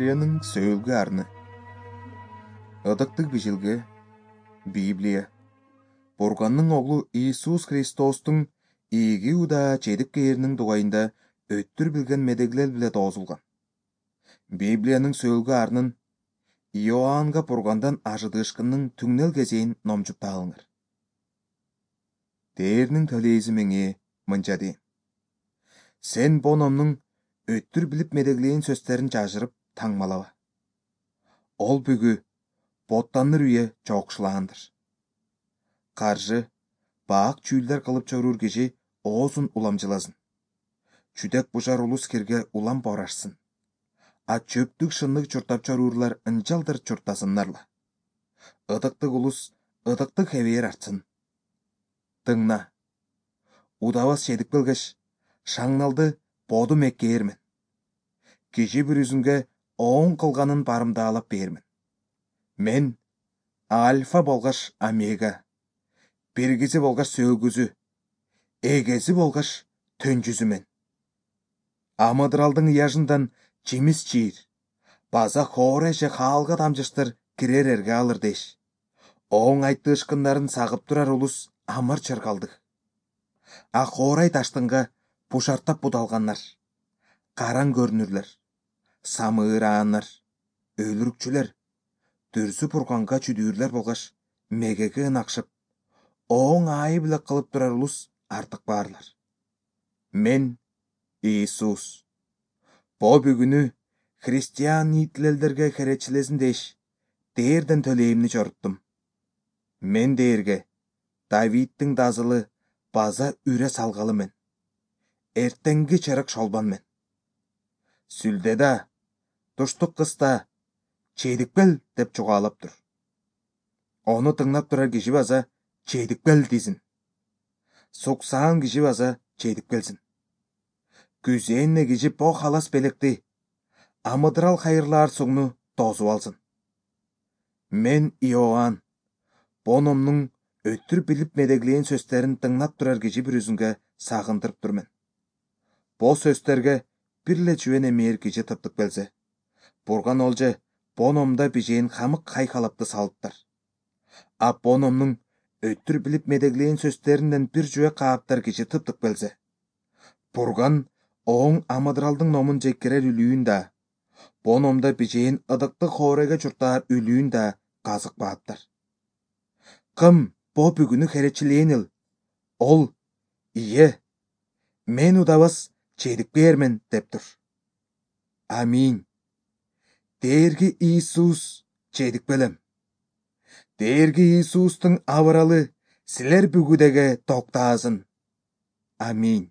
Библиянын сөөлгү арны. Ыдыктык бижилге Библия. Бурганның оглу Иисус Христостун ийги удаа чедип кээринин дугайында өттүр билген медеглер биле тоозулган. Библиянын сөөлгү арнын Иоаннга Бургандан ажыдыышкынның түңнел кезейин номжуп алыңар. Дээрнин төлейзи меңе мынча дейм. Сен бо номнун өттүр билип медеглейин сөздөрүн жажырып таңмалаба. Ол бүгү боттаныр үйе чоокшулаандыр. Каржы, баак чүүлдер кылып чоруур киши оозун уламжыласын. Чүдек бужар улус кирге улам борашсын. А чөптүк шыннык чуртап чоруурлар ынчалдыр чуртасыннарла. Ыдыктык улус ыдыктык хебээр артсын. Тыңна. Удабас чедип келгеш, шаңналды бодум эккээрмен. Киши бир үзүнгө оон кылганын барымдаалап бермен. Мен альфа болгаш омега, биргизи болгаш сөөгүзү, эгези болгаш төнжүзүмен. Амыдыралдын ыяжындан жемис чийир, база хоорай же хаалга дамжыштыр кирер эрге алыр деш. Оң айттыышкындарын сагып турар улус амыр чыргалдык. А хоорай таштынга бушартап будалганнар, караң көрүнүрлөр, самыырааннар, өлүрүкчүлөр, дүрсү Бурганга чүдүүрлөр болгаш мегеге ынакшып, оң аайы биле кылып турар улус артык баарлар. Мен Иисус. Бо бүгүнү христиан нийтилелдерге херечилесин деш, дээрден төлейимни чоруттум. Мен дээрге Давидтин дазылы база үрө салгалы мен. Эртеңги чырык шолбан мен. Сүлдеда, туштук кыста, чедикпел деп чугаалап тур. Ону тыңнап турар киши база чедикпел дизин. Суксаан киши база чедип келсин. Күзээнне киши бо халас белекти, амыдырал хайырлаар сугну тоозуп алсын. Мен Иоанн, бо номнун өттүр билип медеглейин сөздөрүн тыңнап турар киши бир үзүнгө сагындырып турмен. Бо сөздөргө бирле чүвен эмээр киши тыптык келсе, Бурган олже бо номдо бижээн хамык хайкалапты салыптар. А бо номнун өттүр билип медеглейин сөздөрүнөн бир жүве кааптар киши тыптык келсе, Бурган оң амыдыралдын номун жеккерер үлүүн да, бо номдо бижээн ыдыктык хоорайга чуртаар үлүүн да казык бааптар. Кым бо бүгүнү херечилээн эл? Ол ие, мен удабас чедип кээрмен деп тур. Аминь. Дээрги Иисус чедип келем. Дээрги Иисустун абыралы силер бүгүдеге токтаасын. Аминь.